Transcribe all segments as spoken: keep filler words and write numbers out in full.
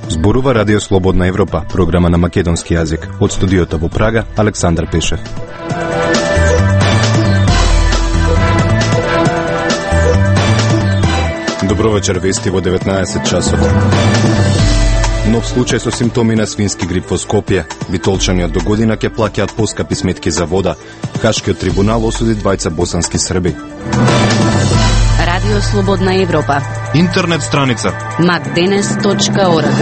Зборува Радио Слободна Европа, програма на македонски јазик. Од студиото во Прага, Александар Пешев. Добро вечер, вести во деветнаесет часот. Нов случај со симптоми на свински грип во Скопје. Битолчани од до година ќе плаќаат поскапи сметки за вода. Хашкиот трибунал осуди двајца босански срби. Радио Слободна Европа. Интернет страница мак денес точка орг.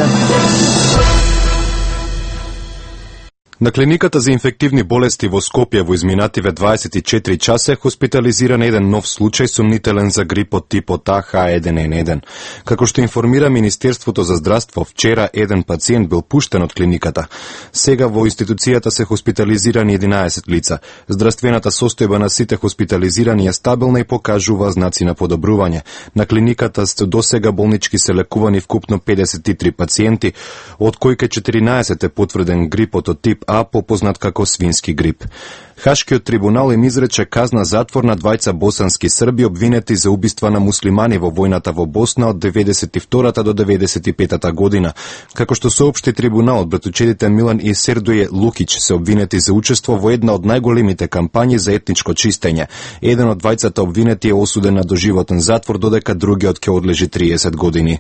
На клиниката за инфективни болести во Скопје во изминативе дваесет и четири часа е хоспитализиран еден нов случај сомнителен за грипот типот А H еден Н еден. Како што информира Министерството за здравство, вчера еден пациент бил пуштен од клиниката. Сега во институцијата се хоспитализирани единаесет лица. Здравствената состојба на сите хоспитализирани е стабилна и покажува знаци на подобрување. На клиниката досега болнички се лекувани вкупно педесет и три пациенти, од кои ке четиринаесет е потврден грипот од тип А, попознат како свински грип. Хашкиот трибунал им изрече казна затвор на двајца босански срби обвинети за убиства на муслимани во војната во Босна од деветдесет и втората до деветдесет и петата година. Како што соопшти трибуналот, братучедите Милан и Сердоје Лукич се обвинети за учество во една од најголемите кампањи за етничко чистење. Еден од двајцата обвинети е осуден на доживотен затвор, додека другиот ќе одлежи триесет години.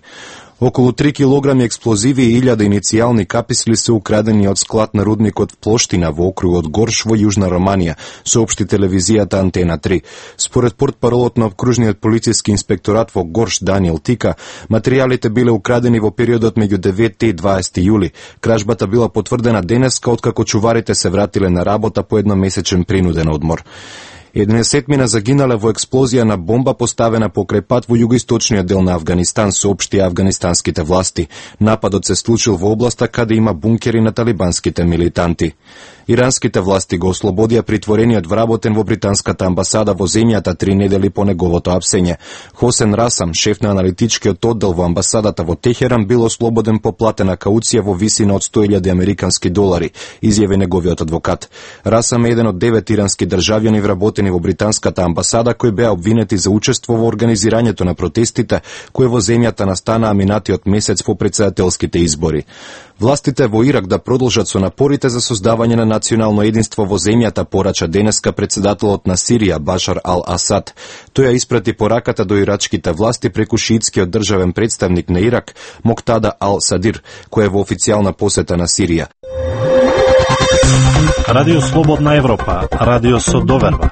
Околу три килограми експлозиви и илјада иницијални каписли се украдени од склад на рудникот Плоштина во округот Горш во Јужна Романија, соопшти телевизијата Антена три. Според портпаролот на окружниот полициски инспекторат во Горш Даниел Тика, материјалите биле украдени во периодот меѓу деветти и дваесети јули. Кражбата била потврдена денеска откако чуварите се вратиле на работа по едномесечен принуден одмор. еднаесетмина загинале во експлозија на бомба поставена покрај пат во југоисточниот дел на Авганистан, соопшти афганистанските власти. Нападот се случил во областа каде има бункери на талибанските милитанти. Иранските власти го ослободија притворениот вработен во британската амбасада во земјата три недели по неговото апсење. Хосен Расам, шеф на аналитичкиот оддел во амбасадата во Техеран, бил ослободен по платена кауција во висина од сто илјади американски долари, изјави неговиот адвокат. Расам е еден од девет ирански државјани вработени во британската амбасада кои беа обвинети за учество во организирањето на протестите кои во земјата настанаа минатиот месец по претседателските избори. Властите во Ирак да продолжат со напорите за создавање на национално единство во земјата, порача денеска председателот на Сирија Башар ал-Асад. Тој ја испрати пораката до ирачките власти преку шиитскиот државен представник на Ирак Моктада ал-Садир, кој е во официјална посета на Сирија. Радио Слободна Европа, радио со доверба.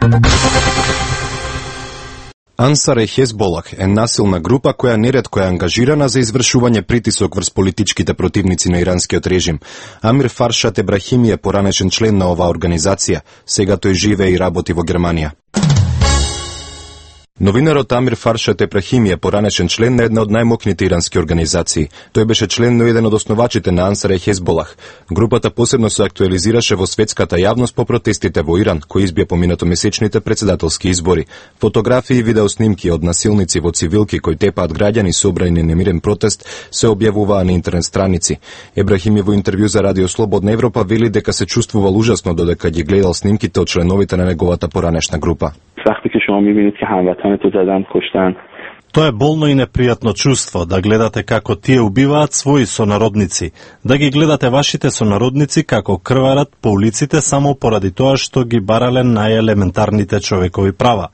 Ансар е Хезболах е насилна група која неретко е ангажирана за извршување притисок врз политичките противници на иранскиот режим. Амир Фаршат Ебрахими е поранешен член на оваа организација. Сега тој живее и работи во Германија. Новинарот Амир Фаршат Ебрахими е поранешен член на една од најмокните ирански организации. Тој беше член на еден од основачите на Ансар е Хезболах. Групата посебно се актуализираше во светската јавност по протестите во Иран, кои избија поминатомесечните председателски избори. Фотографии и видеоснимки од насилници во цивилки кои тепаат граѓани собрани на немирен протест се објавуваа на интернет страници. Ебрахими во интервју за Радио Слободна Европа вели дека се чувствувал ужасно додека ги гледал снимките од членовите на неговата поранешна група. وقتی که شما می‌بینید که هموطنتو زدن کشتن Тоа е болно и непријатно чувство, да гледате како тие убиваат своји сонародници, да ги гледате вашите сонародници како крварат по улиците само поради тоа што ги барале најелементарните човекови права.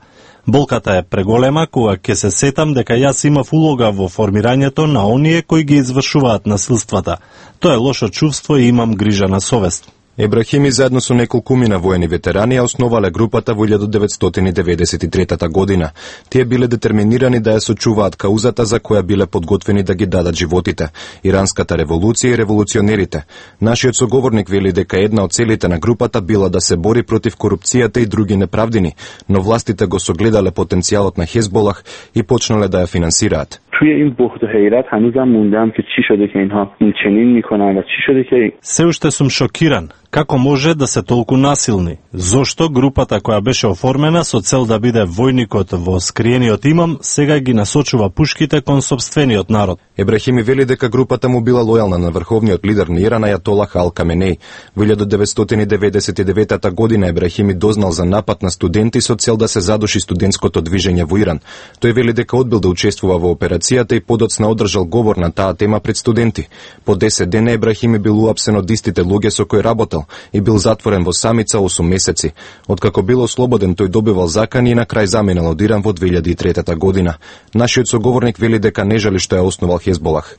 Болката е преголема кога ќе се сетам дека јас имав улога во формирањето на оние кои ги извршуваат насилствата. Тоа е лошо чувство и имам грижа на совест. Ебрахими заедно со неколкумина воени ветерани ја основале групата во илјада деветстотини деветдесет и трета година. Тие биле детерминирани да ја сочуваат каузата за која биле подготвени да ги дадат животите – иранската револуција и револуционерите. Нашиот соговорник вели дека една од целите на групата била да се бори против корупцијата и други неправдини, но властите го согледале потенцијалот на Хезболах и почнале да ја финансираат. توی این بهت و حیرت هنوزم موندم که چی شده که اینها این چنین میکنن و چی شده که Се уште сум шокиран. Како може да се толку насилни? Зошто групата која беше оформена со цел да биде војникот во скриениот имам, сега ги насочува пушките кон сопствениот народ? Ебрахими вели дека групата му била лојална на врховниот лидер на Иран Ајатолах Ал Каменеј. Во илјада деветстотини деветдесет и девета година Ебрахими дознал за напад на студенти со цел да се задуши студентското движење во Иран. Тој вели дека одбил да учествува во операцијата и подоцна одржал говор на таа тема пред студенти. По десет дена Ебрахими бил уапсен од истите луѓе со кои работел и бил затворен во самица осум месеци. Откако бил ослободен, тој добивал закани и на крај заминал од Иран во две илјади и трета година. Нашиот соговорник вели дека не жали што ја основал Хезболах.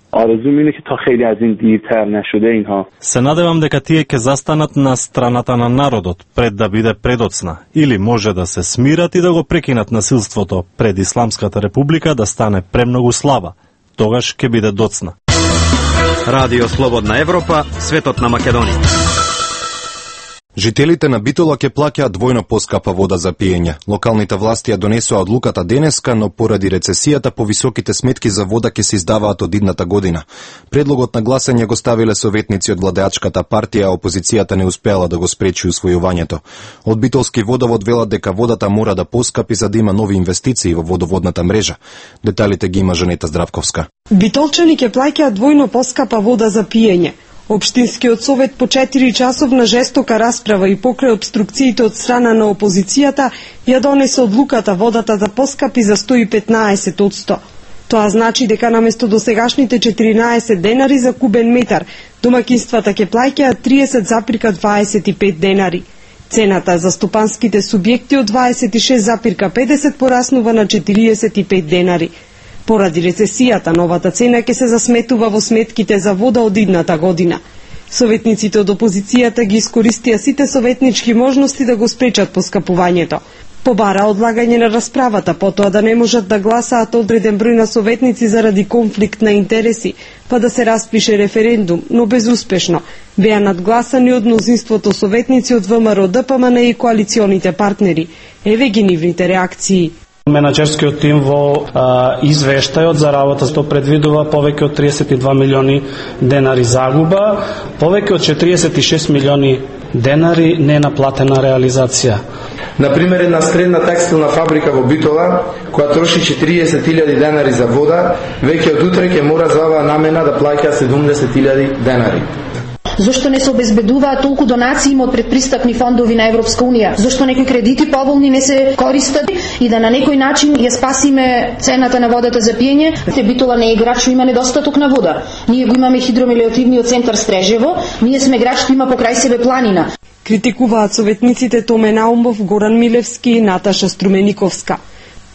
Се надевам дека тие ќе застанат на страната на народот пред да биде предоцна, или може да се смират и да го прекинат насилството пред Исламската република да стане премногу слаба. Тогаш ќе биде доцна. Радио Слободна Европа, светот на Македонија. Жителите на Битола ќе плаќаат двојно поскапа вода за пиење. Локалните власти ја донесоа одлуката денеска, но поради рецесијата повисоките сметки за вода ќе се издаваат од идната година. Предлогот на гласање го ставиле советници од владеачката партија, а опозицијата не успеала да го спречи усвојувањето. Од Битолски водовод велат дека водата мора да поскапи за да има нови инвестиции во водоводната мрежа. Деталите ги има Жанета Здравковска. Битолчани ќе плаќаат двојно поскапа вода за пиење. Општинскиот совет по четири часовна жестока расправа и покрај обструкциите од страна на опозицијата ја донесе одлуката водата да поскапи за сто и петнаесет одсто. Тоа значи дека наместо досегашните четиринаесет денари за кубен метар, домаќинствата ќе плаќаат тридесет запирка дваесет и пет денари. Цената за стопанските субјекти од дваесет и шест запирка педесет пораснува на четириесет и пет денари. Поради рецесијата, новата цена ќе се засметува во сметките за вода од идната година. Советниците од опозицијата ги искористија сите советнички можности да го спречат поскапувањето. Побара одлагање на расправата, потоа да не можат да гласаат одреден број на советници заради конфликт на интереси, па да се распише референдум, но безуспешно. Беа надгласани од мнозинството советници од ВМРО Д П М Н и коалиционите партнери. Еве ги нивните реакции. Менаџерскиот тим во а, извештајот за работа што предвидува повеќе од триесет и два милиони денари загуба, повеќе од четириесет и шест милиони денари ненаплатена реализација. Например, една средна текстилна фабрика во Битола, која троши четириесет илјади денари за вода, веќе од утре ќе мора за оваа намена да плаќа седумдесет илјади денари. Зошто не се обезбедуваат толку донации од предпристапни фондови на Европска унија? Зошто некои кредити поволни не се користат и да на некој начин ја спасиме цената на водата за пиење? Битола не е град што има недостаток на вода. Ние го имаме хидромелиоративниот центар Стрежево, ние сме град што има покрај себе планина. Критикуваат советниците Томе Наумов, Горан Милевски и Наташа Струмениковска.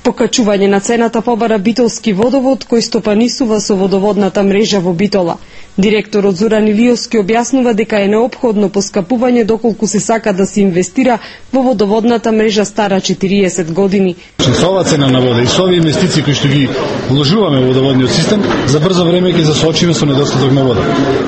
Покачување на цената побара Битолски водовод, кој стопанисува со водоводната мрежа во Битола. Директорот Зоран Илиовски објаснува дека е неопходно поскапување доколку се сака да се инвестира во водоводната мрежа стара четириесет години. Со оваа цена на вода и со овие инвестиции кои што ги вложуваме во водоводниот систем, за брзо време ќе се соочиме со недостаток на вода.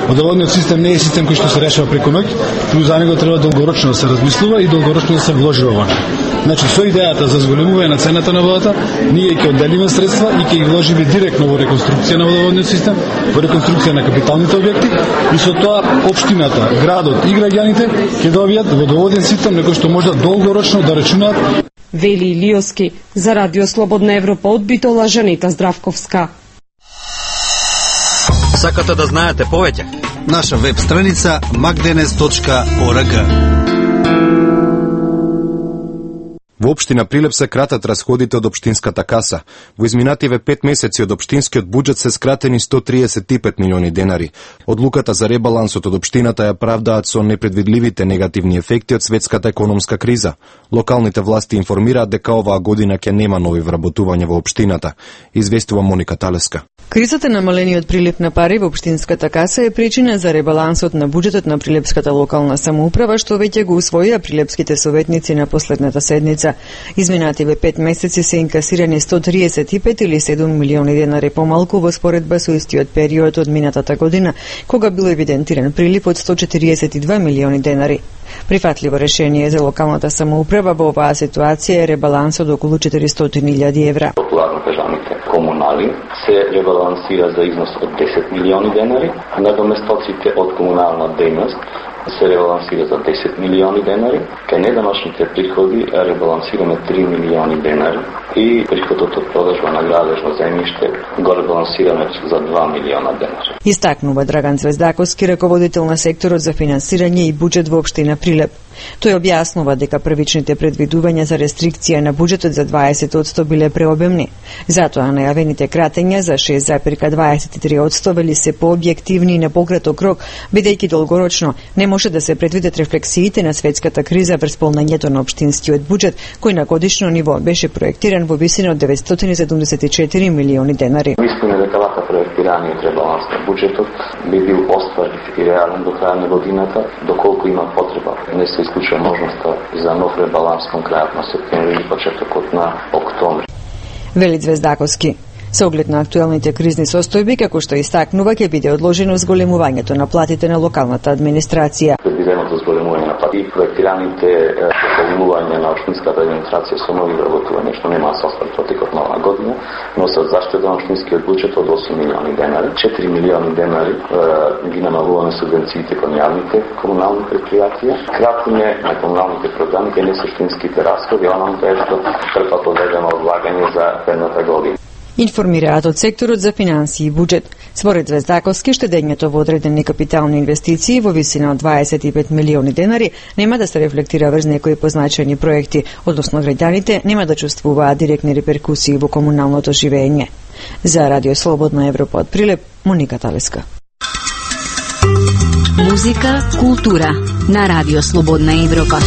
Водоводниот систем не е систем кој што се решава преку ноќ, туку за него треба долгорочно да се размислува и долгорочно да се вложува во него. Значи, со идејата за зголемување на цената на водата, ние ќе одделиме средства и ќе ги вложиме директно во реконструкција на водоводниот систем, во реконструкција на капиталните објекти и со тоа општината, градот и граѓаните ќе добијат водоводен систем на кој што може долгорочно да рачунаат. Вели Илиовски за Радио Слободна Европа од Битола, Жанета Здравковска. Сакате да знаете повеќе? Наша веб страница макденес точка орг. Во општина Прилеп се кратат расходите од општинската каса. Во изминативе пет месеци од општинскиот буџет се скратени сто триесет и пет милиони денари. Одлуката за ребалансот од општината ја правдаат со непредвидливите негативни ефекти од светската економска криза. Локалните власти информираат дека оваа година ќе нема нови вработувања во општината, известува Моника Талеска. Кризата намалениот прилив на пари во општинската каса е причина за ребалансот на буџетот на Прилепската локална самоуправа, што веќе го усвоија прилепските советници на последната седница. Изминативе пет месеци се инкасирани сто триесет и пет или седум милиони денари помалку во споредба со истиот период од минатата година, кога бил евидентиран прилив од сто четириесет и два милиони денари. Прифатливо решение за локалната самоуправа во оваа ситуација е ребалансот околу четиристотини илјади евра. помали, се ребалансира за износ од десет милиони денари, а надоместоците од комунална дејност се ребалансира за десет милиони денари, кај неданочните приходи ребалансираме три милиони денари и приходот од продажба на градежно земјиште го ребалансираме за два милиона денари. Истакнува Драган Звездаковски, раководител на секторот за финансирање и буџет во општина Прилеп. Тој објаснува дека првичните предвидувања за рестрикција на буџетот за дваесет одсто биле преобемни. Затоа најавените кратења за шест зарез дваесет и три одсто вели се пообјективни и на пократок рок, бидејќи долгорочно не може да се предвидат рефлексиите на светската криза врз полнењето на општинскиот буџет, кој на годишно ниво беше проектиран во висина од деветстотини и седумдесет и четири милиони денари. Мислиме дека вака проектираниот ребаланс на буџетот би бил остварив и реален до крај на годината, доколку има потреба. Не се исклучува можноста за нов ребаланс кон крајот на септември или почетокот на октомври. Вели Звездаковски. Со оглед на актуелните кризни состојби, како што истакнува, ќе биде одложено зголемувањето на платите на локалната администрација. Предвиденото зголемување на плати и проектираните пополнување на општинската администрација со нови вработувања, што нема да се остvari протекот на оваа година, носат заштеда на општинскиот буџет од осум милиони денари. четири милиони денари е, ги намалуваме субвенциите кон јавните комунални предпријатија. Кратиме на комуналните програми кај несуштинските расходи, онаму кај што трпат одредено одлагање за едната година. Информираат од секторот за финансии и буџет. Според Звездаковски, штедењето во одредени капитални инвестиции во висина од дваесет и пет милиони денари нема да се рефлектира врз некои позначени проекти, односно граѓаните нема да чувствуваат директни реперкусии во комуналното живење. За Радио Слободна Европа од Прилеп, Моника Талеска. Музика, култура на Радио Слободна Европа.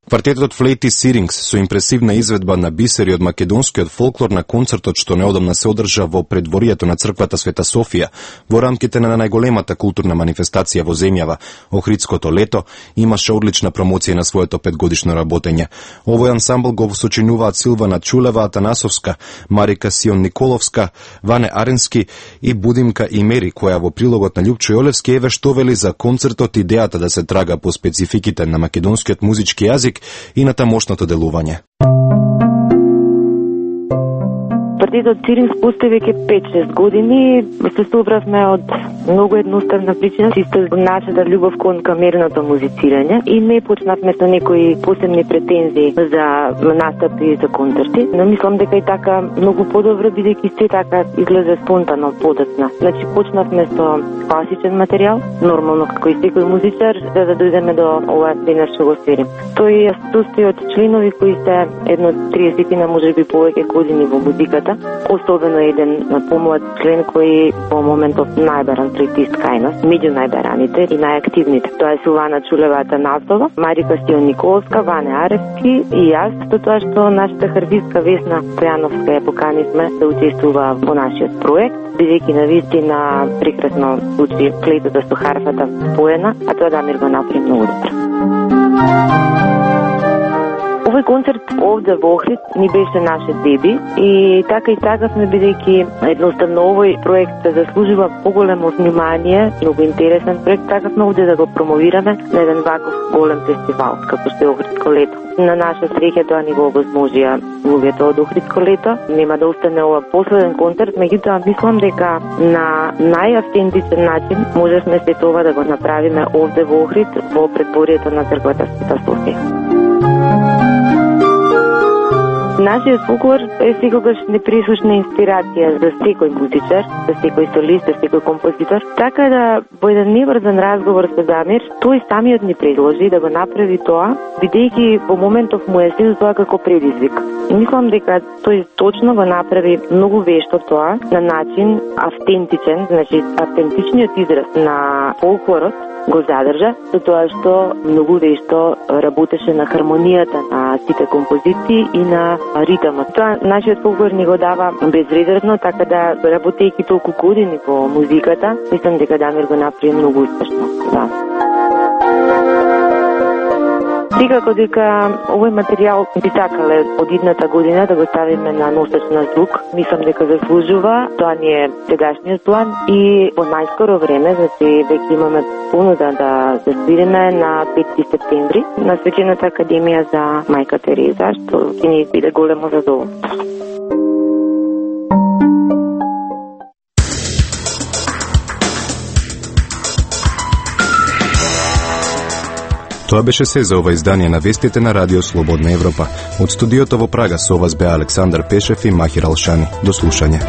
Квартетот Флейти Сирингс со импресивна изведба на бисери од македонскиот фолклор на концертот што неодамна се одржа во предворието на црквата Света Софија во рамките на најголемата културна манифестација во земјава, Охридското лето, имаше одлична промоција на своето петгодишно работење. Овој ансамбл го сочинуваат Силвана Чулева Атанасовска, Марика Сион Николовска, Ване Аренски и Будимка Имери, која во прилогот на Љупчо Јолевски еве што вели за концертот идејата да се трага по спецификите на македонскиот музички јазик и на тамошното делување. Квартетот Сирингс постои веќе пет-шест години. Се собравме од многу едноставна причина, чисто нашата љубов кон камерното музицирање и не почнавме со некои посебни претензии за настапи и за концерти. Но мислам дека и така многу подобро, бидејќи се така излезе спонтано, подоцна. Значи почнавме со класичен материјал, нормално како и секој музичар, за да дојдеме до ова денес што го сверим. Тој се состои од членови кои се едно триесет на можеби повеќе години во музиката, особено еден помлад член кој во моментов најбаран флейтист кај нас, меѓу најбараните и најактивните. Тоа е Силвана Чулева Атанасова, Марика Сион Николовска, Ване Аревски и јас, со тоа што нашата харвистка Весна Стојановска ја поканивме да учествува во нашиот проект, бидејќи навистина прекрасно звучи флейтата со харфата споена, а тоа Дамир го направи многу добро. Овој концерт овде во Охрид ни беше наше деби и така и сакавме, бидејќи едноставно овој проект се заслужува поголемо внимание, многу интересен проект, сакавме овде да го промовираме на еден ваков голем фестивал, како што е Охридско лето. На наша среќа тоа ни го овозможија луѓето од Охридско лето. Нема да остане ова последен концерт, меѓутоа мислам дека на најавтентичен начин можевме се тоа да го направиме овде во Охрид, во предворието на црквата Света Софија. Нашиот фолклор е секогаш непресушна инспирација за секој музичар, за секој солист, за секој композитор. Така да во еден неврзан разговор со Дамир, тој самиот ни предложи да го направи тоа, бидејќи во моментов му е сил тоа како предизвик. И мислам дека тој точно го направи многу вешто тоа на начин автентичен, значи автентичниот израз на фолклорот го задржа, со тоа што многу вешто работеше на хармонијата на сите композиции и на ритмот. Тоа нашиот фолклор ни го дава безрезервно, така да работејќи толку години по музиката, мислам дека Дамир го направи многу успешно. Да. Секако дека овој материјал би сакале од идната година да го ставиме на носач на звук, мислам дека заслужува, тоа ни е сегашниот план и во најскоро време, значи веќе имаме понуда да се свириме на пети септември на Свечената академија за Мајка Тереза, што ќе ни биде големо задоволство. Тоа беше се за ова издание на вестите на Радио Слободна Европа. Од студиото во Прага со вас беа Александар Пешев и Махир Алшани. До слушање.